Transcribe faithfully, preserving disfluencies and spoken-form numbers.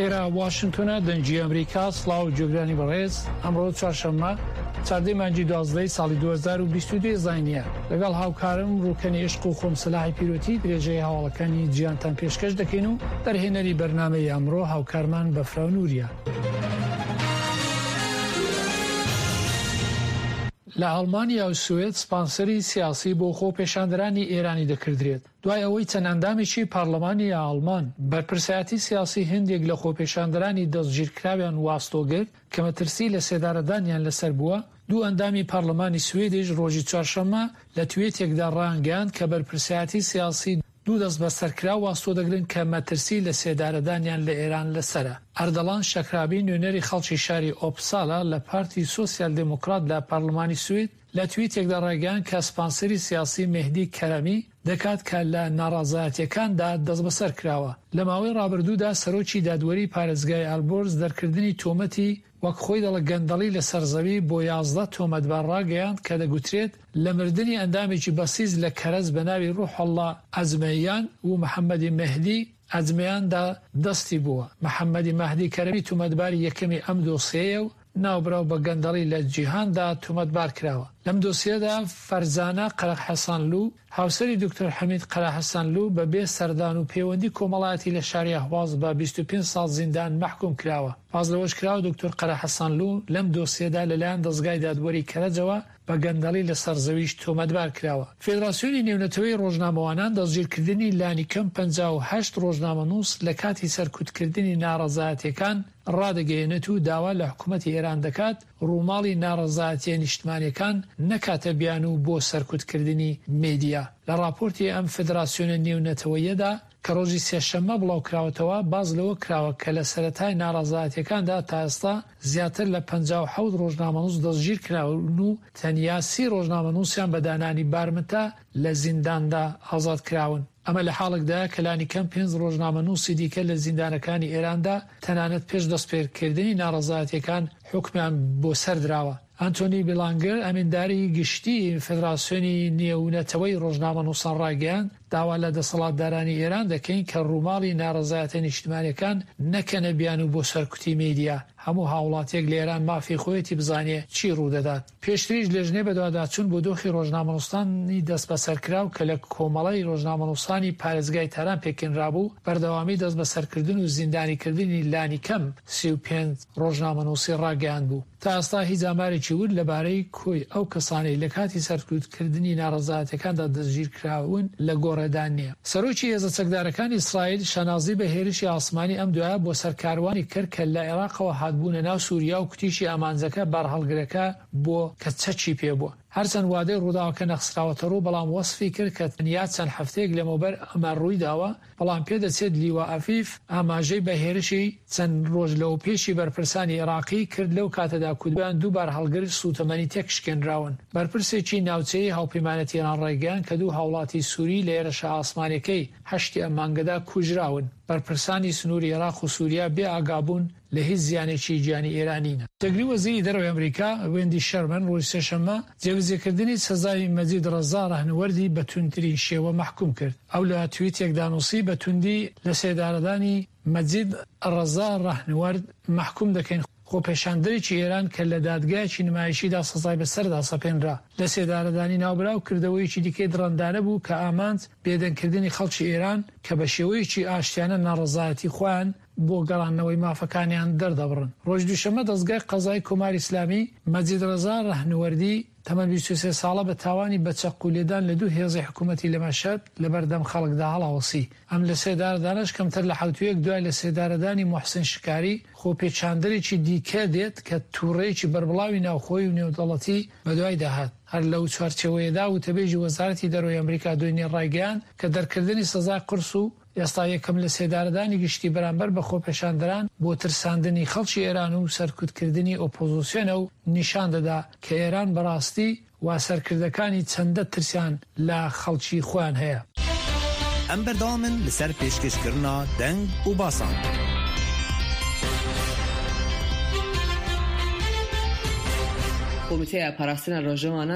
ئێرە واشنتۆنە، دەنگی ئەمریکا. سڵاو گوێگرانی بەڕێز، ئەمڕۆ چوارشەممە چاردەی مانگی دوازدەی ساڵی دوو هەزار و بیست و دوو زاینیە. لەگەڵ هاوکارم ڕوکەنی عشق و خۆم سەلاحی پیرۆتی درێژەی هەواڵەکانی جیهانتان پێشکەش دەکەین و دەرهێنەری بەرنامەی ئەمڕۆ هاوکارمان بەفراو نوریە. لە ئەڵمانیا و سوئد سپانسەری سیاسی بۆ خۆپێشاندەرانی ئێرانی دەکردرێت، دوای ئەوەی چەند ئەندامێکی پەرلەمانی ئاڵمان بەرپرسایەتی سیاسی هەندێک لە خۆپێشاندەرانی دەستگیرکراویان واستۆ گرت کە مەترسی لە سێدارەدانیان لەسەر بووە. دوو ئەندامی پەرلەمانی سوئدیش ڕۆژی چوارشەممە لە تویتێکدا ڕایانگەیاند کە بەرپرسایەتی سیاسی دوو دەست بەسەرکراو واستۆ دەگرن کە مەترسی لە سێدارەدانیان لە ئێران لەسەرە. ئەردەڵان شەکرابی نوێنەری خەڵکی شاری ئۆپسالا لە پارتی سۆسیال دێموکرات لە پەرلەمانی سوئد لە تویتێکدا ڕایگەیاند کە سپانسەری سیاسی مهدی کەرەمی دەکات کە لە ناڕەزایەتیەکاندا دەستبەسەر کراوە. لە ماوەی ڕابردوودا سەرۆکی دادوەری پارێزگای ئەلبۆرز دەرکردنی تۆمەتی وەک خۆی دەڵێ گەندەڵی لەسەر زەوی بۆ یازدە تۆمەتبار ڕاگەیاند کە دەگوترێت لە مردنی ئەندامێکی بەسیج لە کەرەج بە ناوی ڕوحوڵڵا ئەجمەیان و محەممەدی مەهدی ئەجمەیاندا دەستی بووە. محەممەدی مەهدی کەرەمی تۆمەتباری یەکەمی ئەم دۆسیەیە و ناوبراو بە گەندەڵی لە جیهاندا تۆمەتبار کراوە. لەم دۆسیەدا فەرزانە قەرەحەسانلو هاوسەری دکتۆر حەمید قەرەحەسانلو بە بێ سەردان و پەیوەندی کۆمەڵایەتی لە شاری ئەهواز بە بیست و پێنج ساڵ زیندان مەحکوم کراوە. باس لەوەش کراوە دکتۆر قەرەحەسانلو لەم دۆسیەدا لەلایەن دەزگای دادوەری کەرەجەوە بە گەندەڵی لەسەر زەویش تۆمەتبار کراوە. فێدراسیۆنی نێونەتەوەی ڕۆژنامەوانان دەستگیرکردنی لانیکەم پەنجا و هەشت ڕۆژنامەنووس لە کاتی سەرکوتکردنی ناڕەزایەتیەکان ڕادەگەیەنێت و داوا لە حکوومەتی ئێران دەکات ڕووماڵی ناڕەزایەتیە نیشتمانیەکان نەکاتە بیانوو بۆ سەرکوتکردنی میدیا. لە ڕاپۆرتی ئەم فێدراسیۆنە نێونەتەوەیەدا کە ڕۆژی سێشەممە بڵاو کراوەتەوە باس لەوە کراوە کە لە سەرەتای ناڕەزایەتیەکاندا تا ئێستا زیاتر لە پەنجا و حەوت ڕۆژنامەنووس دەستگیر کراون و تەنیا سی ڕۆژنامەنووسیان بە دانانی بارمتە لە زینداندا ئازاد کراون. ئەمە لە حاڵێکدا کە لانیکەم پێنج ڕۆژنامەنووسی دیکە لە زیندانەکانی ئێراندا تەنانەت پێش دەستپێکردنی ناڕەزایەتیەکان حوکمیان بۆ سەردراوە. ئەنتۆنی بیلانگەر ئەمینداری گشتی فێدراسیۆنی نێونەتەوەی ڕۆژنامەنووسان ڕایگەیاند داوا لە دەسەڵاتدارانی ئێران دەکەین کە ڕووماڵی ناڕەزایەتە نیشتمانیەکان نەکەنە بیانوو بۆ سەرکوتی میدیا. هەموو هاوڵاتیەک لە ئێران مافی خۆیەتی بزانێ چی ڕوودەدات. پێشتریش لێژنەی بەدواداچوون بۆ دۆخی ڕۆژنامەنووسانی دەستبەسەرکراو کە لە کۆمەڵەی ڕۆژنامەنووسانی پارێزگای تاران پێکهێنرابوو بەردەوامی دەستبەسەرکردن و زیندانیکردنی لانیکەم سی و پێنج ڕۆژنامەنووسی ڕاگەیاند بوو. تا ئێستا هیچ ئامارێکی ورد لەبارەی کۆی ئەو کەسانەی لە کاتی سەرکوتکردنی ناڕەزایەتیەکاندا دەستگیرکراون لە گۆڕێدا نییە. سەرۆکی هێزە چەکدارەکانی ئیسرائیل شانازی بە هێرشی ئاسمانی ئەم دوایە بۆ سەر کاروانی کرد کە لە عێراقەوە هاتبوونە ناو سووریا و کوتیشی ئامانجەکە بارهەڵگرەکە بۆ کە چەکی پێ بووە. هەرچەند وادەی ڕووداوەکە نەخسراوەتە ڕوو، بەڵام وەصفی کرد کە تەنیا چەند هەفتەیەک لەمەوبەر ئەمە ڕوویداوە، بەڵام پێدەچێت لیوا ئەفیف ئاماژەی بە هێرشی چەند ڕۆژ لەو پێشی بەرپرسانی عێراقی کرد لەو کاتەدا کودویان دوو بارهەڵگر سووتەمەنی تێکشکێنراون. بەرپرسێکی ناوچەیی هاوپەیمانەتی ئێران ڕایگەیاند کە دوو هاوڵاتی سووری لە هێرشە ئاسمانیەکەی هەشتی ئەم مانگەدا کوژراون. بەرپرسانی سنووری عێراق و سووریا بێ ئاگابوون لە هیچ زیانێکی گیانی ئێرانینە. جێگری وەزیری دەرەوەی ئەمریکا وێندی شەرمن ڕۆژی سێشەممە جێبەجێکردنی سزای مەجید ڕەزا ڕەهنوەردی بە توندترین شێوە مەحکوم کرد. ئەو لە تویتێکدا نووسی بە توندی لە سێدارەدانی مەجید ڕەزا ڕەهنوەرد مەحکوم دەکەین، خۆپێشاندەرێکی ئێران کە لە دادگایەکی نمایشیدا سزای بەسەردا سەپێنرا. لە سێدارەدانی ناوبراو کردەوەیەکی دیکەی دڕەندانە بوو کە ئامانج بێدەنگکردنی خەڵکی ئێران کە بە شێوەیەکی ئاشتیانە ناڕەزایەتی خۆیان بۆ گەڕاندنەوەی مافەکانیان دەردەبڕن. ڕۆژ دووشەممە دەستگای قەزای کۆماری ئیسلامی مەجید ڕەزا ڕەهنوەردی تەمەن بیست و سێ ساڵە بە تاوانی بە چەقو لێدان لە دوو هێزی حکوومەتی لە مەشهەد لەبەردەم خەڵکدا هەڵاوەسی. ئەم لە سێدارەدانەش کەمتر لە حەوتوویەک دوای لە سێدارەدانی موحسن شکاری خۆپێچاندەرێکی دیکە دێت کە تووڕەیەکی بەربڵاوی ناوخۆی و نێودەوڵەتی بەدوایدا هات. هەر لەو چوارچێوەیەدا وتەبێژی وەزارەتی دەرەوەی ئەمریکا دوێنێ ڕایگەیاند کە دەرکردنی سزای قورس و ئێستا یەکەم لە سێدارەدانی گشتی بەرامبەر بە خۆپێشاندەران بۆ ترساندنی خەڵکی ئێران و سەرکوتکردنی ئۆپۆزیسیۆنە و نیشان دەدا کە ئێران بەڕاستی وا سەرکردەکانی چەندە ترسیان لە خەڵکی خۆیان هەیە. ئەم بەردەوامن لەسەر پێشکەشکردنا دەنگ و باسان. کۆمیتەیە پاراستنە ڕۆژەوانە